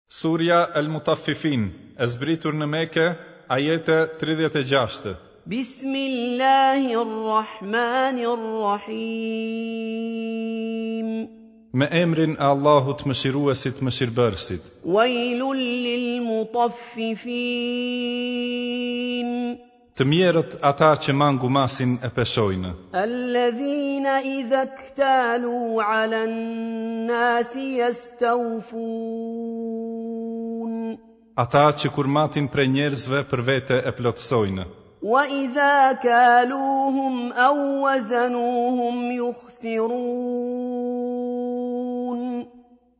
Surja El Mutaffifin, e zbritur në Mekë, ajete 36. Bismillahirrahmanirrahim. Me emrin e Allahut Mëshiruesit Mëshirbërësit. Wailul lil mutaffifin. Të mjerët ata që mangu masin e peshojnë. Alladhina idha ktalu ala an-nasi yastawfun. Ata që kur matin prej njerëzve për vete e plotësojnë. Wa idha kaluhum aw wazanuhum yukhsirun.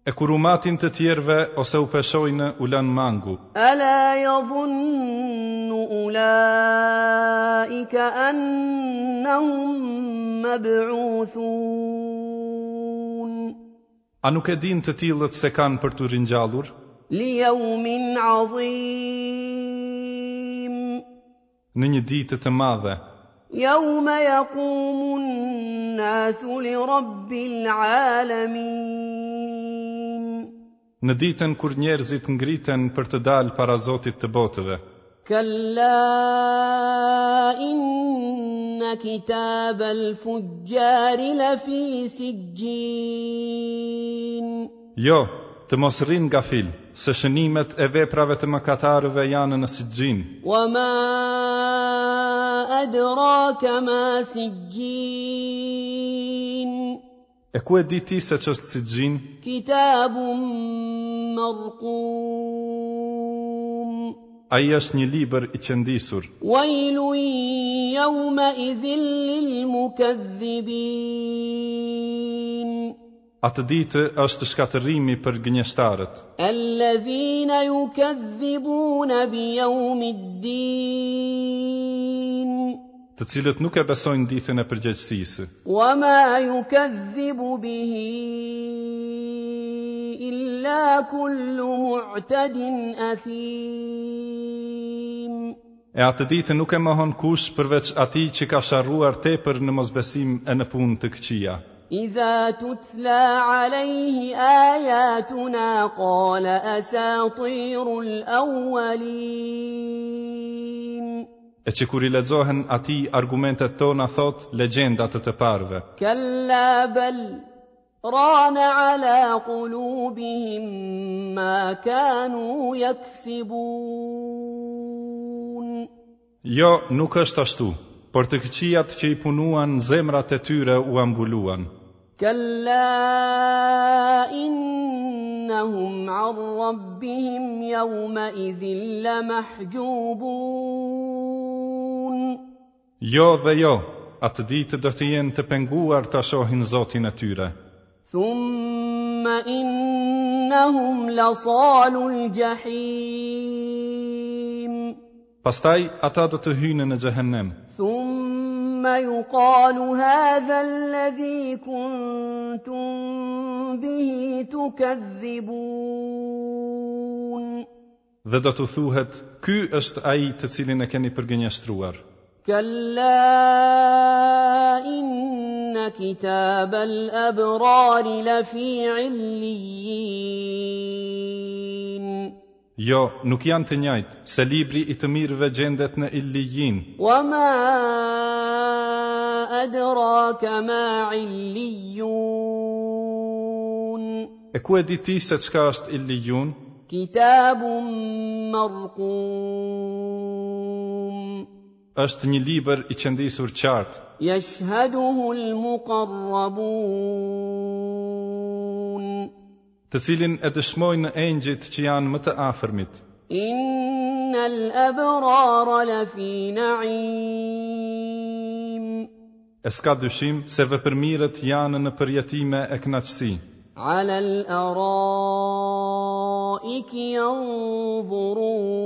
E kur u matin të tjerëve ose u peshojnë, u lënë mangu. Ala yadhunnu ulaika annahum mab'uthun. A nuk e dinë të tillët se kanë për t'u ringjallur? Li yawmin 'azim. Në një ditë të madhe. Yawma yaqumu an-nasu li rabbil 'alamin. Në ditën kur njerëzit ngriten për të dalë para Zotit të botëve. Kalla inna kitab al-fujjari lafi sijjin. Jo, të mos rrinë gafil, se shënimet e veprave të mëkatarëve janë në Sijjin. Wa ma adraka ma Sijjin. E ku e di ti se ç'është Sijjin? Kitabun marqum. Ai është një libër i qëndisur. Wailun yawma idhin lil mukadhibin. Atë ditë është shkatërrimi për gënjeshtarët. Alladhina yukadhibuna bi yawmiddin. Të cilët nuk e besojnë ditën e përgjegjësisë. Wa ma yukadhibu bihi illa kullu mu'tadin athim. E atë ditë nuk e mohon kush përveç atij që ka sharruar tepër në mosbesim e në punë të këqija. Idha tutla alejhi ayatuna qala asatirul awwalin. E që kur i lexohen atij argumentet tona thotë legjenda të të parëve. Kalla bal rana ala qulubihim ma kanu yaksibun. Jo, nuk është ashtu, por të këqijat që i punuan zemrat e tyre ua mbuluan. Kalla innahum an rabbihim yawma idhin lamahjubun. Jo dhe jo, atë ditë do të jenë të penguar ta shohin Zotin e tyre. Thumma innahum lasalul jahim. Pastaj ata do të hyjnë në xhehenem. Thumma yuqalu hadha alladhi kuntum bihi tukadhibun. Dhe do t'u thuhet, ky është ai të cilin e keni përgënjeshtruar. Kalla inna kitab al-abrari lafi illijin. Jo, nuk janë të njëjtë, se libri i të mirëve gjendet në Illijin. Wa ma adraka ma Illijun. E ku e di ti se çka është Illijun? Kitabun marqum. Është një libër i qëndisur qartë. Yashhaduhu al-muqarrabun. Të cilin e dëshmojnë engjëjt që janë më të afërmit. Innal abrara lafi na'im. E s'ka dyshim se vepërmirët janë në përjetime e kënaqësi. Ala al-araiki yanzurun.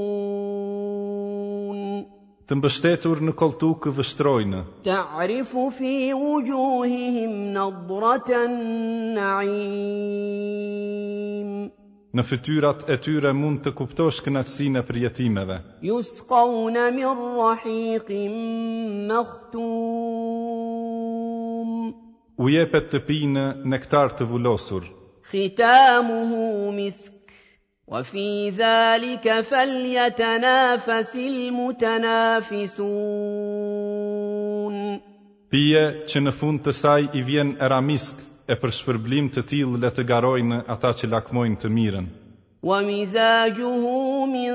Të mbështetur në kolltukë vështrojnë. Ta'rifu fi wujuhihim nadratan na'im. Në fytyrat e tyre mund të kuptosh kënaqësinë e përjetimeve. Yusqawna min rahiqin makhtum. U jepet të pinë nektar të vulosur. Khitamuhu misk. Wa fi dhalika falyatanafasil mutanafisun. Pije që në fund të saj i vjen era misk, e për shpërblim të tillë le të garojnë ata që lakmojnë të mirën. Wa mizajuhu min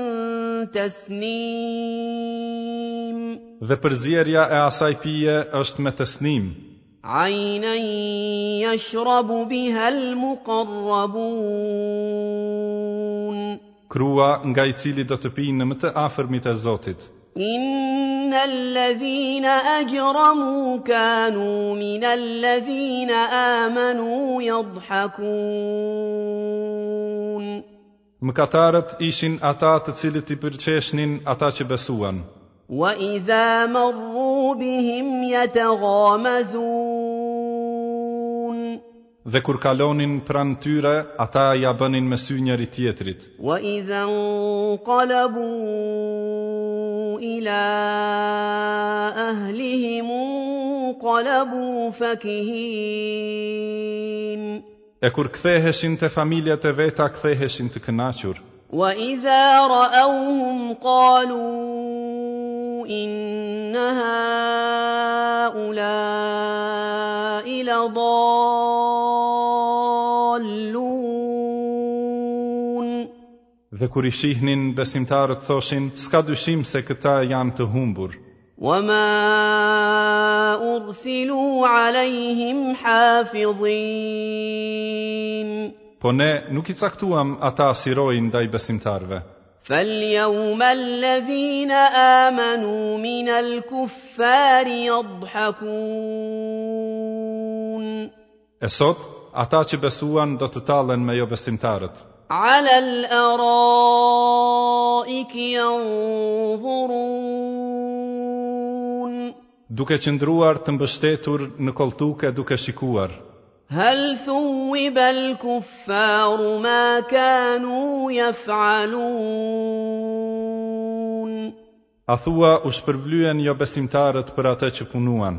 tasnim. Dhe përzierja e asaj pije është me tesnim. Aynan yashrabu biha al-muqarrabun. Krua nga i cili do të pijnë më të afërmit e Zotit. Inna alladhina ajramu kanu min alladhina amanu yadhhakun. Mëkatarët ishin ata të cilët i përqeshnin ata që besuan. Wa idha marru bihim yataghamazun. Dhe kur kalonin pranë tyre, ata ia bënin me sy njëri-tjetrit. Wa idha inqalabu ila ahlihim inqalabu fakihin. E kur ktheheshin te familjet e veta ktheheshin të kënaqur. Wa idha ra'awhum qalu inna ha'ula'i ladallun. Dhe kur i shihnin besimtarët thoshin, s'ka dyshim se këta janë të humbur. Wa ma ursilu alejhim hafidhin. Po ne nuk i caktuam ata si rojë ndaj besimtarëve. Fal-yawma alladhina amanu min al-kuffari yadhhakun. E sot, ata që besuan do të tallen me jobesimtarët. Ala al-araiki yanzurun. Duke qëndruar të mbështetur në kolltukë e duke shikuar. Hal thuwiba al-kuffaru ma kanu yaf'alun. A thua u shpërblyen jobesimtarët për atë që punuan?